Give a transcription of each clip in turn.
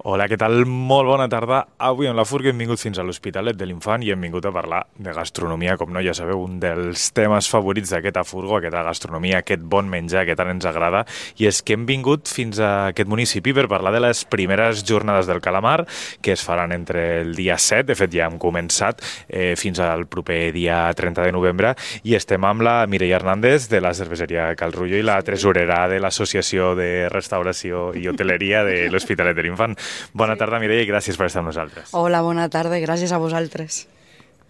Hola, què tal? Molt bona tarda. Avui en la Furga hem vingut fins a l'Hospitalet de l'Infant i hem vingut a parlar de gastronomia, com no, ja sabeu, un dels temes favorits d'aquesta Furgo, aquesta gastronomia, aquest bon menjar que tant ens agrada, i és que hem vingut fins a aquest municipi per parlar de les primeres jornades del calamar, que es faran entre el dia 7, de fet ja hem començat, fins al proper dia 30 de novembre, i estem amb la Mireia Hernández de la cerveseria Cal Rullo i la tresorera de l'Associació de Restauració i Hoteleria de l'Hospitalet de l'Infant. Bona tarda, Mireia, i gràcies per estar amb nosaltres. Hola, bona tarda, gràcies a vosaltres.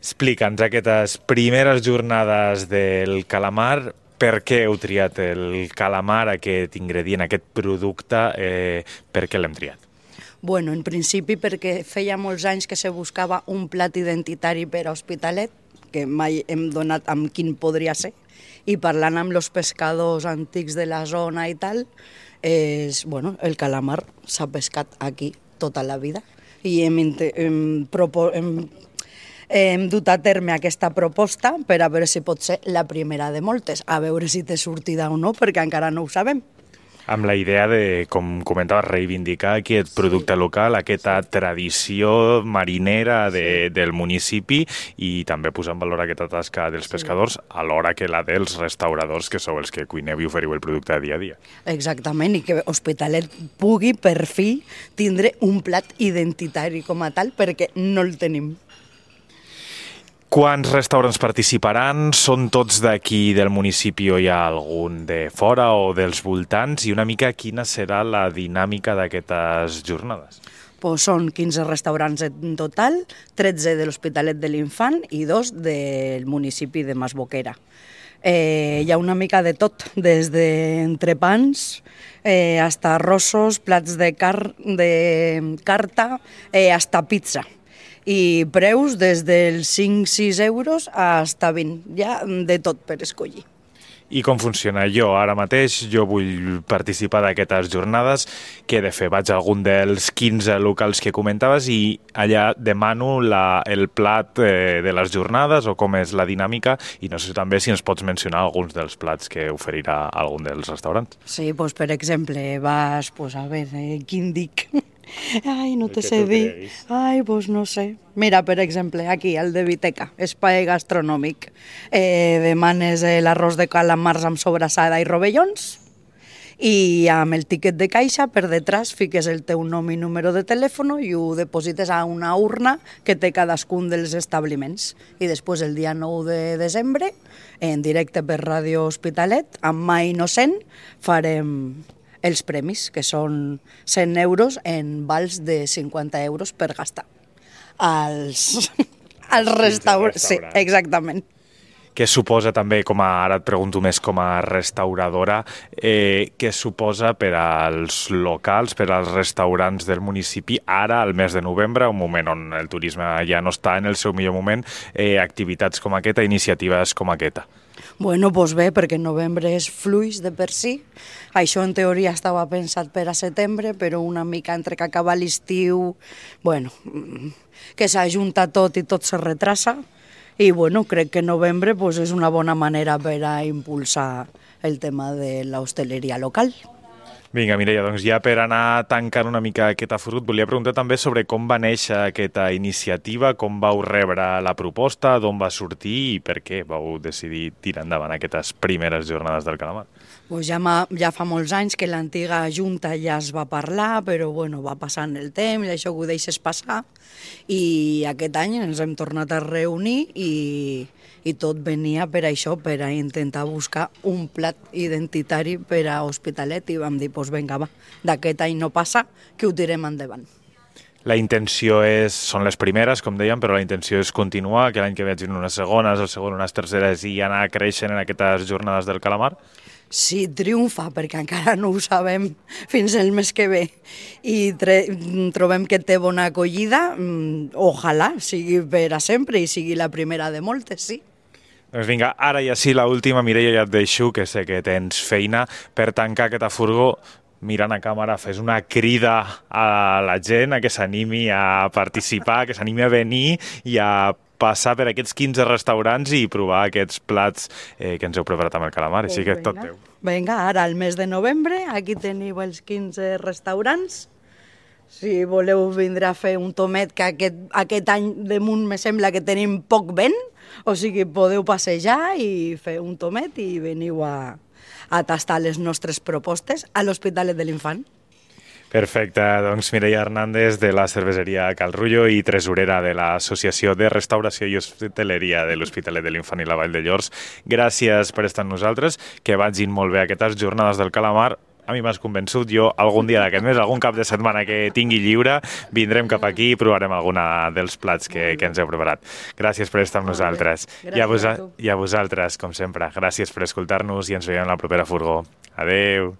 Explica'ns aquestes primeres jornades del calamar. Per què heu triat el calamar, aquest ingredient, aquest producte? Per què l'hem triat? Bueno, en principi perquè feia molts anys que se buscava un plat identitari per a Hospitalet, que mai hem donat amb quin podria ser, i parlant amb els pescadors antics de la zona i tal, el calamar s'ha pescat aquí tota la vida i hem dut a terme aquesta proposta per a veure si pot ser la primera de moltes, a veure si té sortida o no, perquè encara no ho sabem. Amb la idea de, com comentaves, reivindicar aquest producte local, aquesta tradició marinera del municipi i també posar en valor aquesta tasca dels pescadors alhora que la dels restauradors, que sou els que cuineu i oferiu el producte dia a dia. Exactament, i que Hospitalet pugui per fi tindre un plat identitari com a tal, perquè no el tenim. Quants restaurants participaran? Són tots d'aquí del municipi o hi ha algun de fora o dels voltants? I una mica quina serà la dinàmica d'aquestes jornades? Pues són 15 restaurants en total, 13 de l'Hospitalet de l'Infant i 2 del municipi de Masboquera. Hi ha una mica de tot, des d'entrepans, hasta arrossos, plats de carta, hasta pizza. I preus des dels 5-6 euros fins a 20, ja de tot per escollir. I com funciona? Jo ara mateix, vull participar d'aquestes jornades, què he de fer? Vaig a algun dels 15 locals que comentaves i allà demano el plat de les jornades o com és la dinàmica, i no sé també si ens pots mencionar alguns dels plats que oferirà algun dels restaurants. Sí, doncs per exemple, vas, a veure, quin dic? Ai, no te sé dir. Ai, doncs no sé. Mira, per exemple, aquí, el de Viteca, espai gastronòmic. Demanes l'arròs de calamars amb sobrassada i rovellons i amb el tiquet de caixa per detrás fiques el teu nom i número de telèfon i ho deposites a una urna que té cadascun dels establiments. I després, el dia 9 de desembre, en directe per Ràdio Hospitalet, amb Mà Innocent, farem els premis, que són 100 euros en vals de 50 euros per gastar als restaurants. Sí, exactament. Què suposa també, ara et pregunto més com a restauradora, què suposa per als locals, per als restaurants del municipi, ara, al mes de novembre, un moment on el turisme ja no està en el seu millor moment, activitats com aquesta, iniciatives com aquesta? Bueno, doncs bé, perquè novembre és fluix de per si. Això en teoria estava pensat per a setembre, però una mica entre que acaba l'estiu, que s'ajunta tot i tot se retrasa. I crec que novembre és una bona manera per a impulsar el tema de l'hostaleria local. Vinga, Mireia, doncs ja per anar tancant una mica aquest afrut, volia preguntar també sobre com va néixer aquesta iniciativa, com vau rebre la proposta, d'on va sortir i per què vau decidir tirar endavant aquestes primeres jornades del calamar. Pues ja fa molts anys que l'antiga junta ja es va parlar, però va passant el temps i això ho deixes passar. I aquest any ens hem tornat a reunir i tot venia per això, per a intentar buscar un plat identitari per a Hospitalet i vam dir, vinga, va, d'aquest any no passa, que ho tirem endavant. La intenció són les primeres, com dèiem, però la intenció és continuar, que l'any que ve hagin unes segones, el segon unes terceres i anar creixent en aquestes jornades del calamar? Sí, triomfa, perquè encara no ho sabem fins el mes que ve i trobem que té bona acollida, ojalà sigui per a sempre i sigui la primera de moltes, sí. Doncs vinga, ara ja sí, l'última, Mireia, ja et deixo, que sé que tens feina, per tancar aquesta furgó, mirant a càmera, fes una crida a la gent a que s'animi a participar, que s'animi a venir i a passar per aquests 15 restaurants i provar aquests plats que ens heu preparat amb el calamar, així que tot teu. Vinga, ara al mes de novembre, aquí teniu els 15 restaurants Si voleu vindre a fer un tomet, que aquest any damunt me sembla que tenim poc vent, o sigui, podeu passejar i fer un tomet i veniu a tastar les nostres propostes a l'Hospitalet de l'Infant. Perfecte, doncs Mireia Hernández de la cerveseria Cal Rullo i tresorera de l'Associació de Restauració i Hostaleria de l'Hospitalet de l'Infant i la Vall de Llors. Gràcies per estar amb nosaltres, que vagin molt bé aquestes jornades del calamar. A mi m'has convençut, jo algun dia d'aquest mes, algun cap de setmana que tingui lliure, vindrem cap aquí i provarem alguna dels plats que ens heu preparat. Gràcies per estar amb nosaltres. I a vosaltres, com sempre, gràcies per escoltar-nos i ens veiem la propera furgó. Adeu!